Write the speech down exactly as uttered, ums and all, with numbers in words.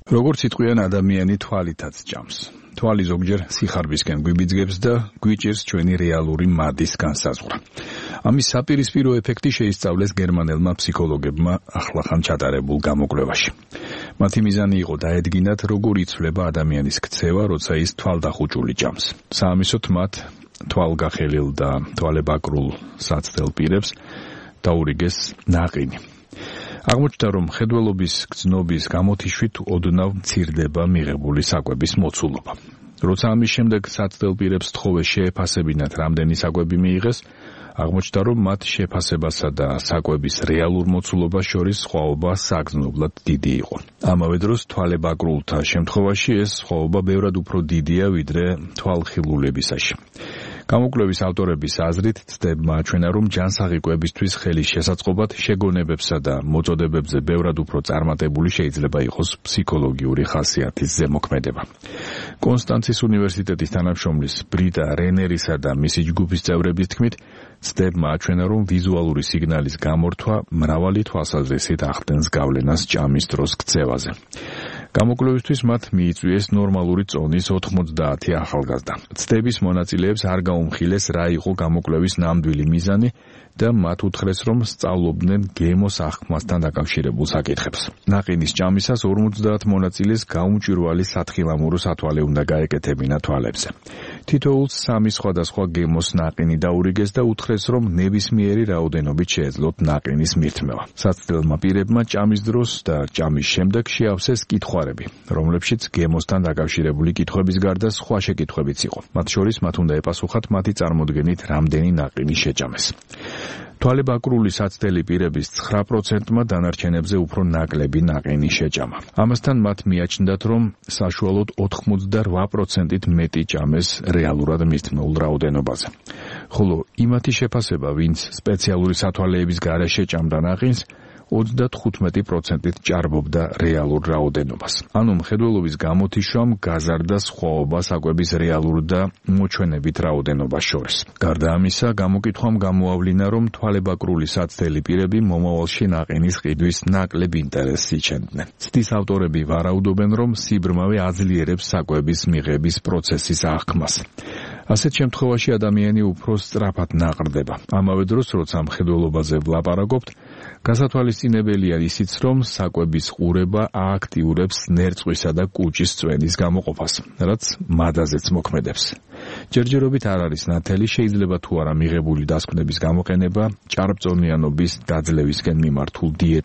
როგორც იტყვიან, ადამიანი თვალითაც ჭამს. თვალი ზოგჯერ სიხარბისკენ გვიბიძგებს და გვიჭირს ჩვენი რეალური მადის განსაზღვრა. ამის საპირისპირო ეფექტი შეისწავლეს გერმანელმა ფსიქოლოგებმა ახლახან ჩატარებულ გამოკვლევაში. მათი მიზანი იყო დაედგინათ, როგორ იცვლება ადამიანის ქცევა, როცა ის თვალდახუჭული ჭამს. საამისოდ მათ თვალგახელილ და თვალებაკრულ საცდელ პირებს დაურიგეს ნაყინი. აღმოჩნდა, რომ მხედველობის გრძნობის გამოთიშვით ოდნავ მცირდება მიღებული საკვების მოცულობა. როცა ამის შემდეგ საცდელ პირებს თხოვეს შეეფასებინათ, რამდენი საკვები მიიღეს, აღმოჩნდა, რომ მათ შეფასებასა და საკვების რეალურ მოცულობას შორის სხვაობა საგრძნობლად დიდი იყო. ამავე დროს თვალებაკრულთა შემთხვევაში ეს სხვაობა ბევრად უფრო დიდია, ვიდრე თვალხილულებისაში. გამოკვლევის ავტორების აზრით ცდებმა აჩვენა, რომ ჯანსაღი კვებისთვის ხელის შესაწყობად შეგონებებსა და მოწოდებებზე ბევრად უფრო წარმატებული შეიძლება იყოს ფსიქოლოგიური ხასიათის ზემოქმედება. კონსტანცის უნივერსიტეტის თანამშრომლის ბრიტა რენერისა და მისი ჯგუფის წევრების თქმით, ცდებმა აჩვენა, რომ ვიზუალური სიგნალის გამორთვა მრავალი თვალსაზრისით ახდენს გავლენას ჭამის დროს ქცევაზე. გამოკვლევისთვის მათ მიიწვიეს ნორმალური წონის ოთხმოცდაათი ახალგაზრდა. ცდების მონაწილეებს არ გაუმხილეს, რა იყო გამოკვლევის ნამდვილი მიზანი და მათ უთხრეს, რომ სწავლობდნენ გემოს აღქმასთან დაკავშირებულ საკითხებს. ნაყინის ჭამისას ორმოცდაათ მონაწილეს გაუმჭვირვალი სათხილამურო სათვალე უნდა გაეკეთებინა თვალებზე. თითოეულს სამი სხვადასხვა გემოს ნაყინი დაურიგეს და უთხრეს, რომ ნებისმიერი რაოდენობით შეეძლოთ ნაყინის მირთმევა. საცდელმა პირებმა ჭამის დროს და ჭამის შემდეგ შეავსეს კითხვარები, რომლებშიც გემოსთან დაკავშირებული კითხვების გარდა სხვა შეკითხვებიც იყო. მათ შორის მათ უნდა ეპასუხათ მათი წარმოდგენით რამდენი ნაყინი შეჭამეს. თვალებაკრული საცდელი პირების ცხრა პროცენტმა დანარჩენებზე უფრო ნაკლები ნაყინი შეჭამა. ამასთან მათ მიაჩნდათ, რომ საშუალოდ ოთხმოცდარვა პროცენტით მეტი ჭამეს რეალურად მირთმეულ რაოდენობაზე. ხოლო იმათი შეფასება, ვინც სპეციალური სათვალეების გარეშე ჭამდა ნაყინს, ოცდათხუთმეტი პროცენტით ჭარბობდა რეალურ რაოდენობას. ანუ მხედველობის გამოთიშვამ გაზარდა სხვაობა საკვების რეალურ და მოჩვენებით რაოდენობას შორის. გარდა ამისა, გამოკითხვამ გამოავლინა, რომ თვალებაკრული საცდელი პირები მომავალში ნაყინის ყიდვის ნაკლებ ინტერესს იჩენდნენ. ცდის ავტორები ვარაუდობენ, რომ სიბრმავე აძლიერებს საკვების მიღების პროცესის აღქმას. ასეთ შემთხვევაში ადამიანი უფრო სწრაფად ნაყრდება. ამავე დროს, როცა მხედველობაზე ვლაპარაკობთ, გასათვალისწინებელია ისიც, რომ საკვების ყურება ააქტიურებს ნერწყვისა და კუჭის წვენის გამოყოფას, რაც მადაზეც მოქმედებს. ჯერჯერობით არ არის ნათელი, შეიძლება თუ არა მიღებული დასკვნების გამოყენება ჭარბწონიანობის დაძლევისკენ მიმართულ დიეტ